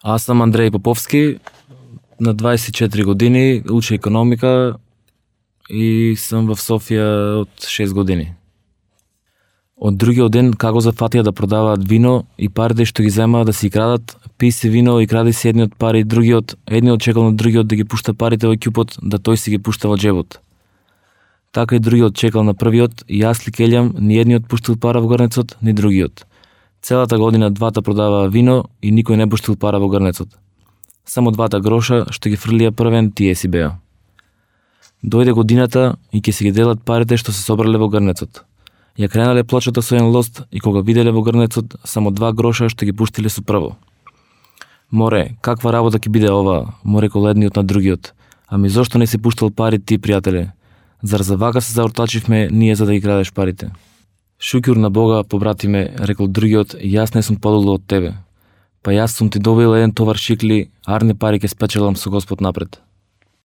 Аз сум Андреј Поповски, на 24 години, учам економика и сум во Софија од 6 години. Од другиот ден како зафатија да продаваат вино и парите што ги земаа да си крадат, пи си вино и кради си едниот пари, едниот чекал на другиот да ги пушта парите во ќупот, да тој си ги пушта во джебот. Така и другиот чекал на првиот и јас ли келјам, ни едниот пуштил пара во грнецот, ни другиот. Целата година двата продаваа вино и никој не пуштил пара во грнецот. Само двата гроша што ги фрлија првен тие си беа. Дојде годината и ќе си ги делат парите што се собрале во грнецот. Ја кренале плочата со еден лост и кога виделе во грнецот само 2 гроша што ги пуштиле со прво. Море, каква работа ќе биде ова, му рекол едниот на другиот. Ами зошто не си пуштал пари ти, пријателе? Зар за вака се заортачивме ние за да ги крадеш парите? Шукјур на Бога, побратиме, рекол другиот, јас не сум подолу од тебе. Па јас сум ти добил еден товар шикли, арни пари ќе спечелам со Господ напред.